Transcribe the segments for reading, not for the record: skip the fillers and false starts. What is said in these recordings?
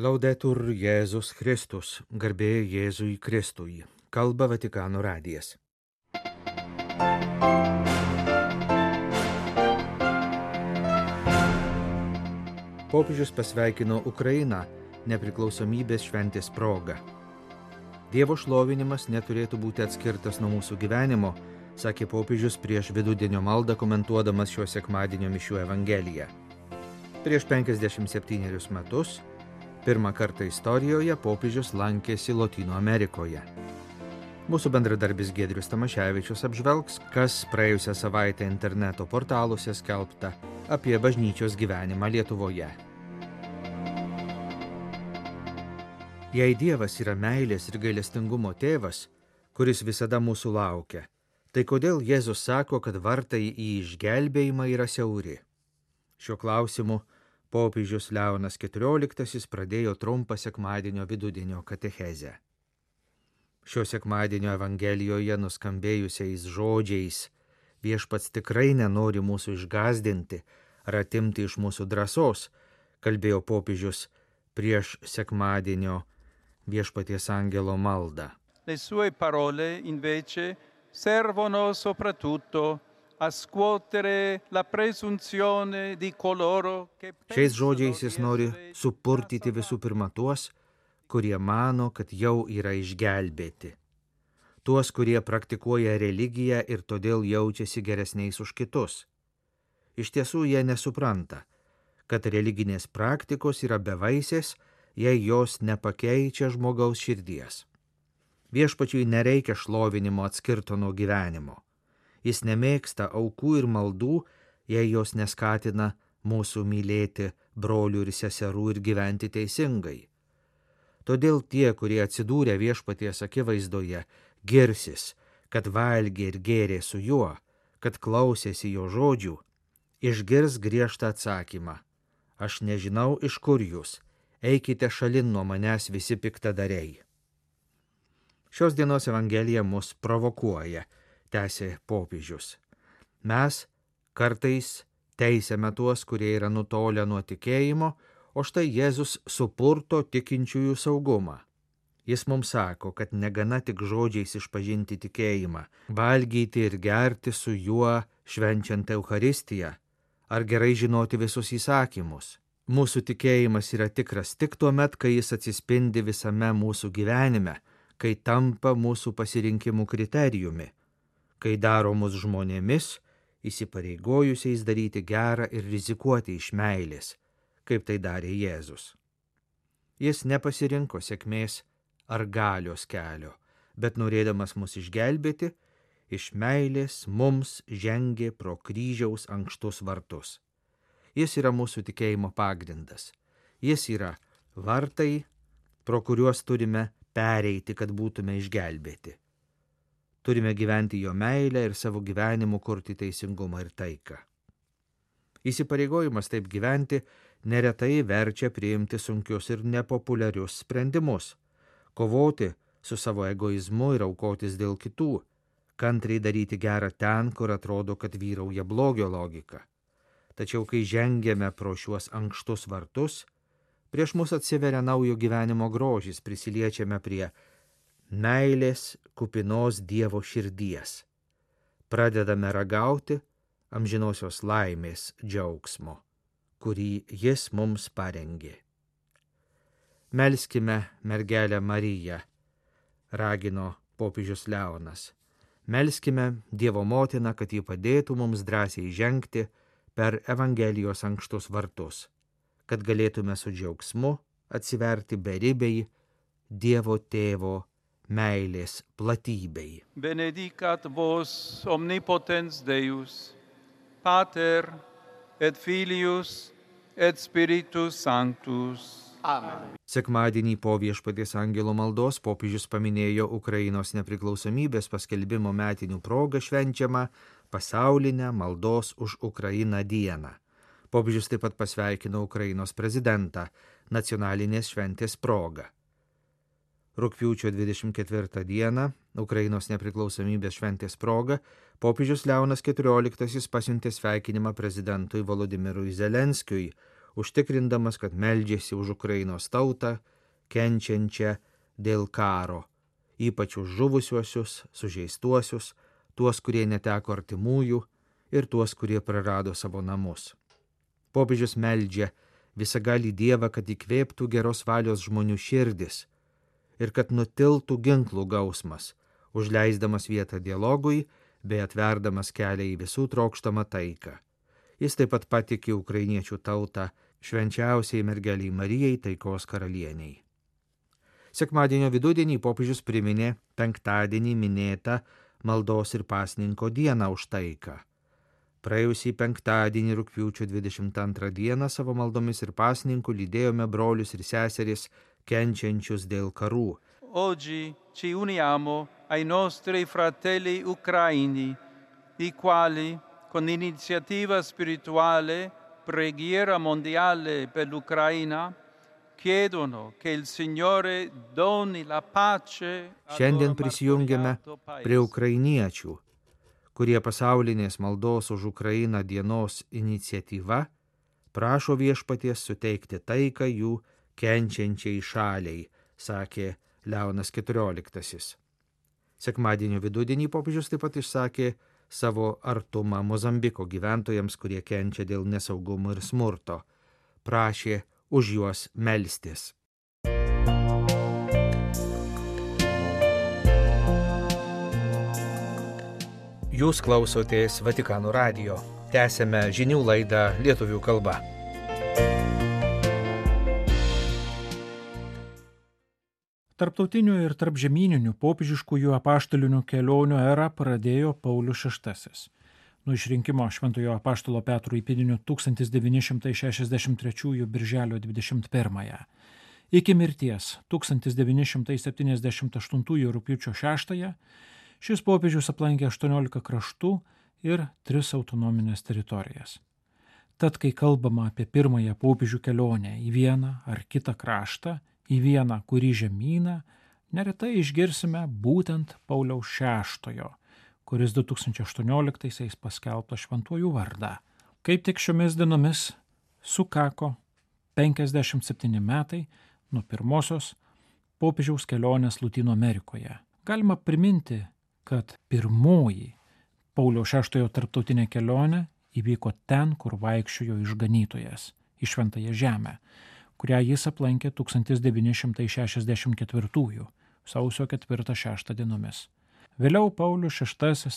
Laudetur Jėzus Kristus, garbė Jėzui Kristui, kalba Vatikano radijas. Popiežius pasveikino Ukrainą nepriklausomybės šventės proga. Dievo šlovinimas neturėtų būti atskirtas nuo mūsų gyvenimo, sakė popiežius prieš vidudienio maldą komentuodamas šio sekmadienio mišių evangeliją. Prieš 57 metus pirmą kartą istorijoje popiežius lankėsi Lotynų Amerikoje. Mūsų bendradarbis Giedrius Tamaševičius apžvelgs, kas praėjusią savaitę interneto portaluose skelbta apie bažnyčios gyvenimą Lietuvoje. Jei Dievas yra meilės ir gailestingumo tėvas, kuris visada mūsų laukia, tai kodėl Jėzus sako, kad vartai į išgelbėjimą yra siauri? Šiuo klausimu popiežius Leonas XIV pradėjo trumpą sekmadienio vidudienio katechezę. Šio sekmadienio evangelijoje nuskambėjusiais žodžiais viešpats tikrai nenori mūsų išgąsdinti ar atimti iš mūsų drąsos, kalbėjo popiežius prieš sekmadienio viešpaties angelo maldą. Le sue parole invece servono soprattutto a scuotere la presunzione di coloro che Šiais žodžiais jis nori supurtyti visų pirma tuos, kurie mano, kad jau yra išgelbėti. Tuos, kurie praktikuoja religiją ir todėl jaučiasi geresniais už kitus. Iš tiesų jie nesupranta, kad religinės praktikos yra bevaisės, jei jos nepakeičia žmogaus širdies. Viešpačiui nereikia šlovinimo atskirto nuo gyvenimo. Jis nemėgsta aukų ir maldų, jei jos neskatina mūsų mylėti brolių ir seserų ir gyventi teisingai. Todėl tie, kurie atsidūrė viešpaties akivaizdoje, girsis, kad valgė ir gėrė su juo, kad klausėsi jo žodžių, išgirs griežtą atsakymą: aš nežinau, iš kur jūs, eikite šalin nuo manęs visi piktadariai. Šios dienos evangelija mus provokuoja, tęsė popiežius. Mes kartais teisiame tuos, kurie yra nutolę nuo tikėjimo, o štai Jėzus supurto tikinčiųjų saugumą. Jis mums sako, kad negana tik žodžiais išpažinti tikėjimą, valgyti ir gerti su juo švenčiant Eucharistiją, ar gerai žinoti visus įsakymus. Mūsų tikėjimas yra tikras tik tuomet, kai jis atsispindi visame mūsų gyvenime, kai tampa mūsų pasirinkimų kriterijumi, kai daro mus žmonėmis, įsipareigojusiais daryti gerą ir rizikuoti iš meilės, kaip tai darė Jėzus. Jis nepasirinko sėkmės ar galios kelio, bet norėdamas mus išgelbėti, iš meilės mums žengė pro kryžiaus ankštus vartus. Jis yra mūsų tikėjimo pagrindas. Jis yra vartai, pro kuriuos turime pereiti, kad būtume išgelbėti. Turime gyventi jo meilę ir savo gyvenimu kurti teisingumą ir taiką. Įsipareigojimas taip gyventi neretai verčia priimti sunkius ir nepopuliarius sprendimus, kovoti su savo egoizmu ir aukotis dėl kitų, kantriai daryti gerą ten, kur atrodo, kad vyrauja blogio logika. Tačiau kai žengėme pro šiuos ankštus vartus, prieš mus atsiveria naujo gyvenimo grožis, prisiliečiame prie meilės kupinos Dievo širdies. Pradedame ragauti amžinosios laimės džiaugsmo, kurį jis mums parengė. Melskime mergelę Mariją, ragino popiežius Leonas. Melskime Dievo motiną, kad ji padėtų mums drąsiai žengti per Evangelijos ankštus vartus, kad galėtume su džiaugsmu atsiverti beribei Dievo tėvo meilės platybei. benedicat vos omnipotens Deus, Pater et Filius et Spiritus Sanctus. Amen. Sekmadienį po viešpaties angelo maldos popiežius paminėjo Ukrainos nepriklausomybės paskelbimo metinių progą švenčiamą pasaulinę maldos už Ukrainą dieną. Popiežius taip pat pasveikino Ukrainos prezidentą nacionalinės šventės proga. Rugpjūčio 24 dieną, Ukrainos nepriklausomybės šventės proga, popiežius Leonas XIV pasiuntė sveikinimą prezidentui Volodimirui Zelenskiui užtikrindamas, kad meldžiasi už Ukrainos tautą, kenčiančią dėl karo, ypač už žuvusiuosius, sužeistuosius, tuos, kurie neteko artimųjų ir tuos, kurie prarado savo namus. Popiežius meldžia visagalį Dievą, kad įkvėptų geros valios žmonių širdis ir kad nutiltų ginklų gausmas, užleisdamas vietą dialogui bei atverdamas kelią į visų trokštamą taiką. Jis taip pat patikė ukrainiečių tautą švenčiausiai mergeliai Marijai, taikos karalieniai. Sekmadienio vidudienį popiežius priminė penktadienį minėtą maldos ir pasninko dieną už taiką. Praėjusį penktadienį rugpjūčio 22 dieną savo maldomis ir pasninku lydėjome brolius ir seseris kenčiančius dėl karų. Oggi ci uniamo ai nostri fratelli ucraini, i quali, con iniziativa spirituale, preghiera mondiale per l'Ucraina, chiedono che il Signore doni la pace. Šiandien prisijungiame prie ukrainiečių, kurie pasaulinės maldos už Ukrainą dienos iniciatyva prašo viešpaties suteikti taiką jų kenčiančiai šaliai, sakė Leonas XIV. Sekmadienio vidudienį popiežius taip pat išsakė savo artumą Mozambiko gyventojams, kurie kenčia dėl nesaugumo ir smurto. Prašė už juos melstis. Jūs klausotės Vatikano radijo. Tęsiame žinių laidą lietuvių kalba. Tarptautinių ir tarpžemyninių popiežiškųjų apaštalinių kelionių erą pradėjo Paulius VI. Nuo išrinkimo Šventojo apaštalo Petro įpėdiniu 1963 birželio 21. Iki mirties 1978 rugpjūčio 6 šis popiežius aplankė 18 kraštų ir 3 autonominės teritorijas. Tad, kai kalbama apie pirmąją popiežių kelionę į vieną ar kitą kraštą, į vieną kurį žemyną, neretai išgirsime būtent Pauliaus VI, kuris 2018 paskelbtas šventuoju vardą. Kaip tik šiomis dienomis sukako 57 metai nuo pirmosios popiežiaus kelionės Lotynų Amerikoje. Galima priminti, kad pirmoji Pauliaus VI tarptautinė kelionė įvyko ten, kur vaikščiojo išganytojas, į Šventąją žemę, kurią jis aplankė 1964 sausio 4-6 dienomis. Vėliau Paulius VI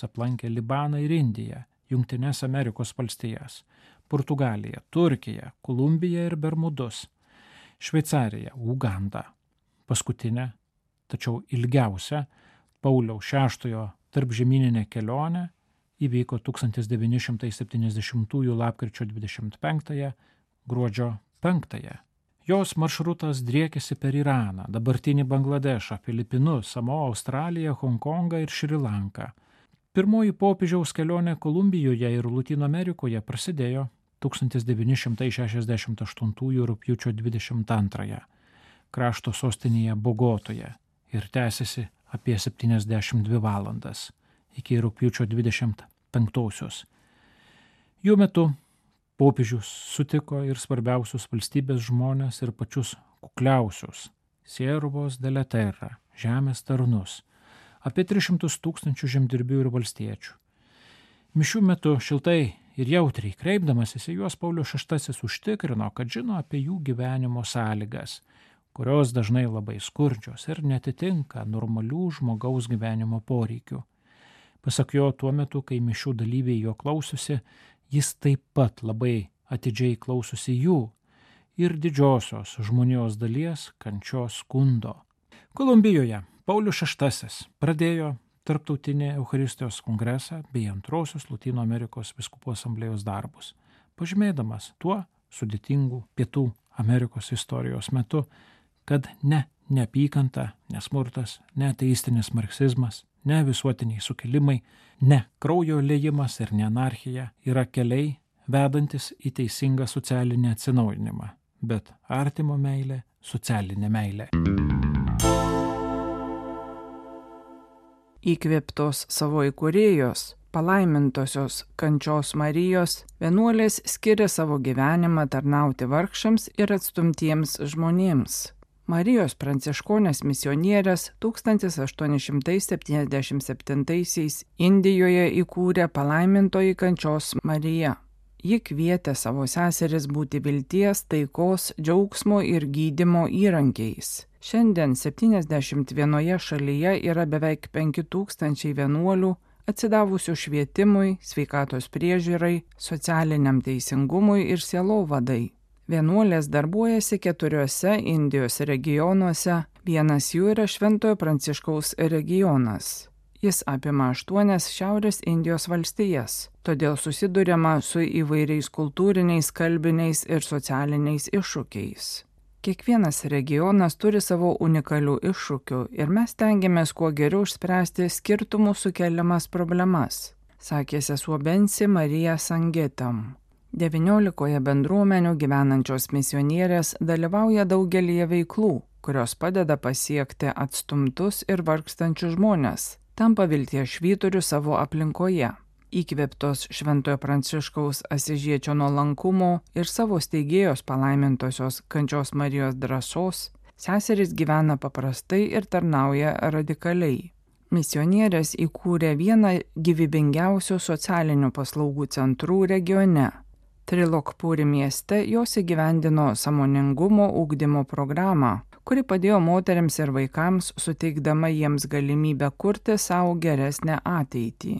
aplankė Libaną ir Indiją, Jungtines Amerikos valstijas, Portugaliją, Turkiją, Kolumbiją ir Bermudus, Šveicariją, Ugandą. Paskutinę, tačiau ilgiausią Pauliaus VI tarpžemyninė kelionė įvyko 1970 lapkričio 25 gruodžio 5. Jos maršrutas driekėsi per Iraną, dabartinį Bangladešą, Filipinus, Samoa, Australiją, Honkongą ir Šri Lanką. Pirmoji popiežiaus kelionė Kolumbijoje ir Lotynų Amerikoje prasidėjo 1968 rugpjūčio 22 krašto sostinėje Bogotoje ir tęsiasi apie 72 valandas iki rugpjūčio 25. Jų metu popiežius sutiko ir svarbiausius valstybės žmones ir pačius kukliausius siervos de la terra, žemės tarnus, apie 300 000 žemdirbių ir valstiečių. Mišių metu šiltai ir jautriai kreipdamasis į juos Paulius VI užtikrino, kad žino apie jų gyvenimo sąlygas, kurios dažnai labai skurdžios ir netitinka normalių žmogaus gyvenimo poreikių. Pasak jo, tuo metu, kai mišių dalyviai jo klausosi, jis taip pat labai atidžiai klausosi jų ir didžiosios žmonijos dalies kančios skundo. Kolumbijoje Paulius VI pradėjo Tarptautinį Eucharistijos kongresą bei antrosios Lotynų Amerikos vyskupų asamblėjos darbus, pažymėdamas tuo sudėtingų Pietų Amerikos istorijos metu, kad ne neapykanta, nesmurtas, ne ateistinis marksizmas, ne visuotiniai sukilimai, ne kraujo liejimas ir ne anarchija yra keliai vedantis į teisingą socialinį atsinaujinimą, bet artimo meilė, socialinė meilė. Įkvėptos savo įkūrėjos, palaimintosios Kančios Marijos vienuolės skiria savo gyvenimą tarnauti vargšams ir atstumtiems žmonėms. Marijos pranciškonės misionierės 1877 Indijoje įkūrė palaimintoji Kančios Marija. Ji kvietė savo seseris būti vilties, taikos, džiaugsmo ir gydymo įrankiais. Šiandien 71 šalyje yra beveik 5000 vienuolių atsidavusių švietimui, sveikatos priežiūrai, socialiniam teisingumui ir sielovadai. Vienuolės darbuojasi 4 Indijos regionuose, vienas jų yra Šventojo Pranciškaus regionas. Jis apima 8 Šiaurės Indijos valstijas, todėl susiduriama su įvairiais kultūriniais, kalbiniais ir socialiniais iššūkiais. Kiekvienas regionas turi savo unikalių iššūkių ir mes tengiamės kuo geriau išspręsti skirtumų sukeliamas problemas, sakė sesuo Bensi Marija Sangetam. 19 bendruomenių gyvenančios misionierės dalyvauja daugelyje veiklų, kurios padeda pasiekti atstumtus ir vargstančius žmones, tampa vilties švyturiu savo aplinkoje. Įkvėptos Šventojo Pranciškaus Asižiečio nuolankumo ir savo steigėjos palaimintosios Kančios Marijos drąsos, seserys gyvena paprastai ir tarnauja radikaliai. Misionierės įkūrė vieną gyvybingiausių socialinių paslaugų centrų regione. Trilokpūri mieste jos įgyvendino sąmoningumo ugdymo programą, kuri padėjo moteriams ir vaikams, suteikdama jiems galimybę kurti savo geresnę ateitį.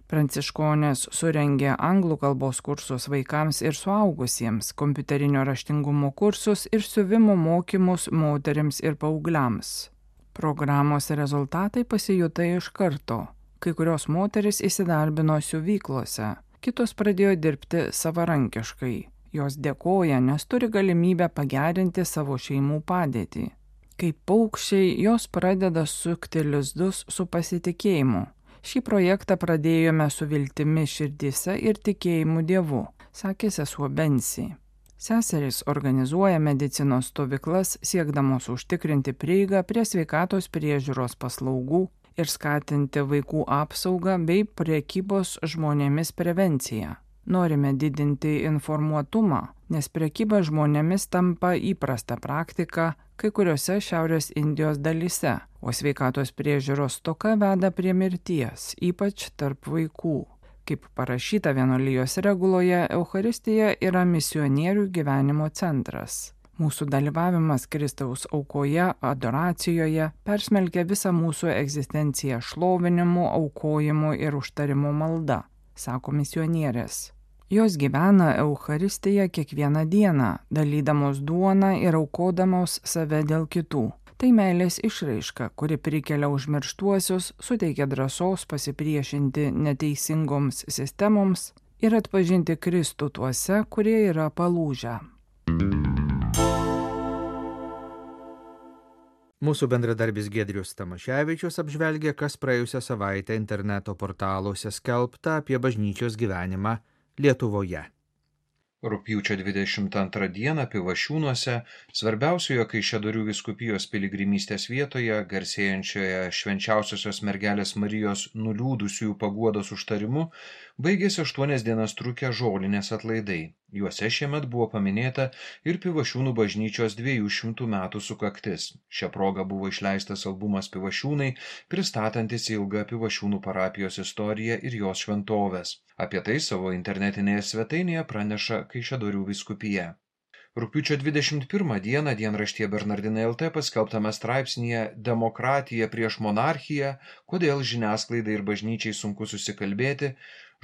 Pranciškonės surengė anglų kalbos kursus vaikams ir suaugusiems, kompiuterinio raštingumo kursus ir siuvimo mokymus moteriams ir paaugliams. Programos rezultatai pasijuto iš karto. Kai kurios moteris įsidarbino siuvyklose, kitos pradėjo dirbti savarankiškai. Jos dėkoja, nes turi galimybę pagerinti savo šeimų padėtį. Kaip paukščiai, jos pradeda sukti lizdus su pasitikėjimu. Šį projektą pradėjome su viltimi širdyse ir tikėjimu Dievu, sakė sesuo Bensi. Seserys organizuoja medicinos stovyklas, siekdamos užtikrinti prieigą prie sveikatos priežiūros paslaugų ir skatinti vaikų apsaugą bei prekybos žmonėmis prevenciją. Norime didinti informuotumą, nes prekyba žmonėmis tampa įprasta praktika kai kuriuose Šiaurės Indijos dalyse, o sveikatos priežiūros stoka veda prie mirties, ypač tarp vaikų. Kaip parašyta vienuolijos reguloje, Eucharistija yra misionierių gyvenimo centras. Mūsų dalyvavimas Kristaus aukoje, adoracijoje persmelkia visą mūsų egzistenciją šlovinimu, aukojimu ir užtarimu malda, sako misionierės. Jos gyvena Eucharistiją kiekvieną dieną, dalydamos duoną ir aukodamos save dėl kitų. Tai meilės išraiška, kuri prikelia užmirštuosius, suteikia drąsos pasipriešinti neteisingoms sistemoms ir atpažinti Kristų tuose, kurie yra palūžę. Mūsų bendradarbis Giedrius Tamaševičius apžvelgė, kas praėjusią savaitę interneto portaluose skelbta apie bažnyčios gyvenimą Lietuvoje. Rugpjūčio 22 dieną Pivašiūnuose, svarbiausioje Kaišiadorių vyskupijos piligrimystės vietoje, garsėjančioje Švenčiausiosios mergelės Marijos nuliūdusiųjų paguodos užtarimu, baigėsi 8 dienas trukę žolinės atlaidai. Juose šiemet buvo paminėta ir Pivašiūnų bažnyčios 200 metų sukaktis. Šia proga buvo išleistas albumas Pivašiūnai, pristatantis ilgą Pivašiūnų parapijos istoriją ir jos šventoves. Apie tai savo internetinėje svetainėje praneša Kaišiadorių vyskupija. Rugpjūčio 21 dieną dienraštyje Bernardinai LT paskelbtame straipsnyje "Demokratija prieš monarchiją, kodėl žiniasklaidai ir bažnyčiai sunku susikalbėti",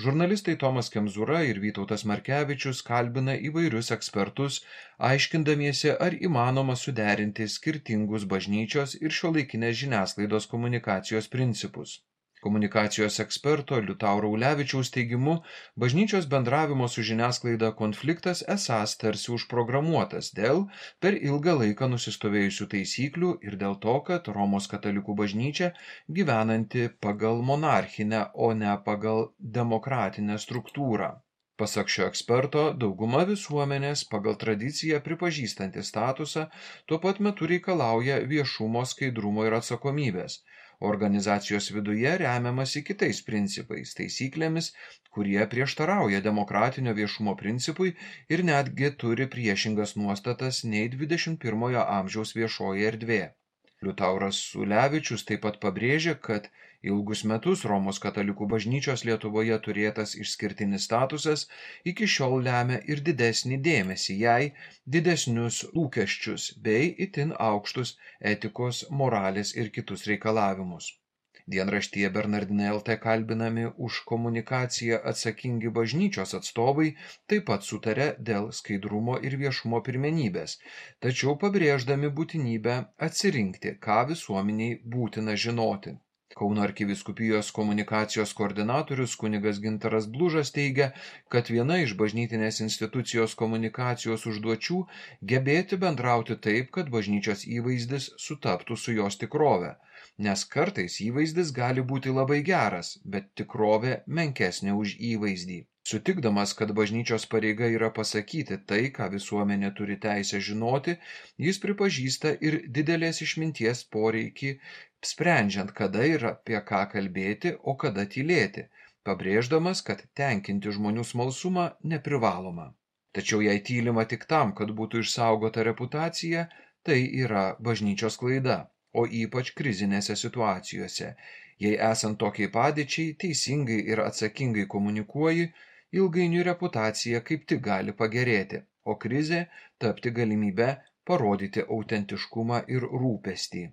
žurnalistai Tomas Kemzūra ir Vytautas Markevičius kalbina įvairius ekspertus, aiškindamiesi, ar įmanoma suderinti skirtingus bažnyčios ir šiuolaikinės žiniasklaidos komunikacijos principus. Komunikacijos eksperto Liutauro Ulevičiaus teigimu, bažnyčios bendravimo su žiniasklaida konfliktas esąs tarsi užprogramuotas dėl per ilgą laiką nusistovėjusių taisyklių ir dėl to, kad Romos katalikų bažnyčia gyvenanti pagal monarchinę, o ne pagal demokratinę struktūrą. Pasak šio eksperto, dauguma visuomenės pagal tradiciją pripažįstanti statusą tuo pat metu reikalauja viešumo, skaidrumo ir atsakomybės. Organizacijos viduje remiamasi kitais principais, taisyklėmis, kurie prieštarauja demokratinio viešumo principui ir netgi turi priešingas nuostatas nei 21 amžiaus viešoji erdvė. Liutauras Ulevičius taip pat pabrėžė, kad ilgus metus Romos katalikų bažnyčios Lietuvoje turėtas išskirtinis statusas iki šiol lemia ir didesnį dėmesį jai, didesnius lūkesčius bei itin aukštus etikos, moralės ir kitus reikalavimus. Dienraštyje Bernardinai LT kalbinami už komunikaciją atsakingi bažnyčios atstovai taip pat sutarė dėl skaidrumo ir viešumo pirmenybės, tačiau pabrėždami būtinybę atsirinkti, ką visuomeniai būtina žinoti. Kauno arkivyskupijos komunikacijos koordinatorius kunigas Gintaras Blužas teigia, kad viena iš bažnytinės institucijos komunikacijos užduočių gebėti bendrauti taip, kad bažnyčios įvaizdis sutaptų su jos tikrove, nes kartais įvaizdis gali būti labai geras, bet tikrovė menkesnė už įvaizdį. Sutikdamas, kad bažnyčios pareiga yra pasakyti tai, ką visuomenė turi teisę žinoti, jis pripažįsta ir didelės išminties poreikį, sprendžiant, kada ir apie ką kalbėti, o kada tylėti, pabrėždamas, kad tenkinti žmonių smalsumą neprivaloma. Tačiau jei tylima tik tam, kad būtų išsaugota reputacija, tai yra bažnyčios klaida, o ypač krizinėse situacijose. Jei esant tokiai padėčiai, teisingai ir atsakingai komunikuoji, ilgainiui reputacija kaip tik gali pagerėti, o krizė tapti galimybę parodyti autentiškumą ir rūpestį,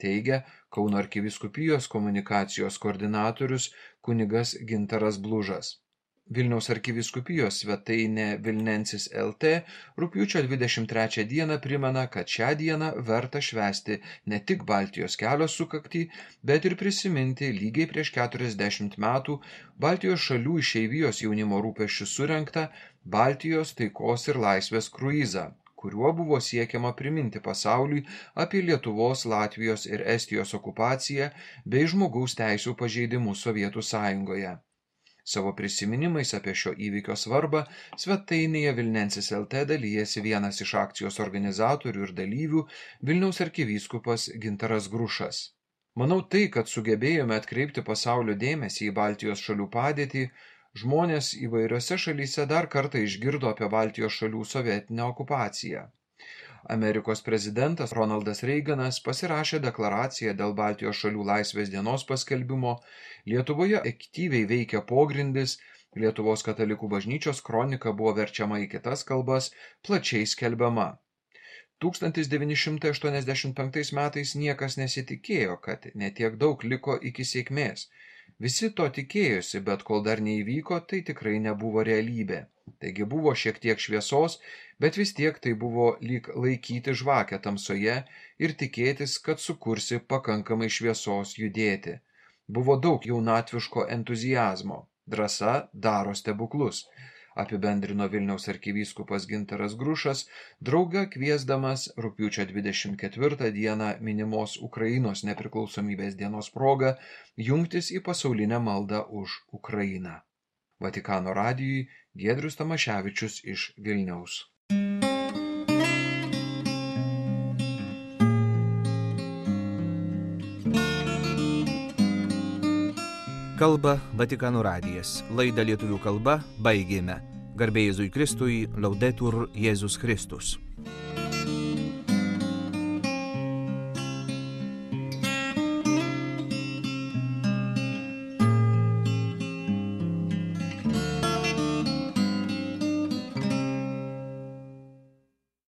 teigia Kauno arkivyskupijos komunikacijos koordinatorius kunigas Gintaras Blužas. Vilniaus arkivyskupijos svetainė Vilnensis LT rugpjūčio 23 dieną primena, kad šią dieną verta švęsti ne tik Baltijos kelio sukaktį, bet ir prisiminti lygiai prieš 40 metų Baltijos šalių išeivijos jaunimo rūpesčių surengtą Baltijos taikos ir laisvės kruizą, kuriuo buvo siekiama priminti pasauliui apie Lietuvos, Latvijos ir Estijos okupaciją bei žmogaus teisių pažeidimus Sovietų Sąjungoje. Savo prisiminimais apie šio įvykio svarbą svetainėje Vilnensis LT dalijasi vienas iš akcijos organizatorių ir dalyvių Vilniaus arkivyskupas Gintaras Grušas. Manau tai, kad sugebėjome atkreipti pasaulio dėmesį į Baltijos šalių padėtį, žmonės įvairiose šalyse dar kartą išgirdo apie Baltijos šalių sovietinę okupaciją. Amerikos prezidentas Ronaldas Reiganas pasirašė deklaraciją dėl Baltijos šalių laisvės dienos paskelbimo, Lietuvoje aktyviai veikia pogrindis, Lietuvos katalikų bažnyčios kronika buvo verčiama į kitas kalbas, plačiai skelbiama. 1985 metais niekas nesitikėjo, kad netiek daug liko iki sėkmės. Visi to tikėjosi, bet kol dar neįvyko, tai tikrai nebuvo realybė. Taigi buvo šiek tiek šviesos, bet vis tiek tai buvo lyg laikyti žvakę tamsoje ir tikėtis, kad sukursi pakankamai šviesos judėti. Buvo daug jaunatviško entuziazmo. Drąsa daro stebuklus, apibendrino Vilniaus arkivyskupas Gintaras Grušas, draugą kviesdamas rugpjūčio 24 dieną minimos Ukrainos nepriklausomybės dienos proga jungtis į pasaulinę maldą už Ukrainą. Vatikano radijui Giedrius Tamaševičius iš Vilniaus. Kalba Vatikano radijas. Laidą lietuvių kalba baigėme. Garbė Jėzui Kristui, Laudetur Jėzus Kristus.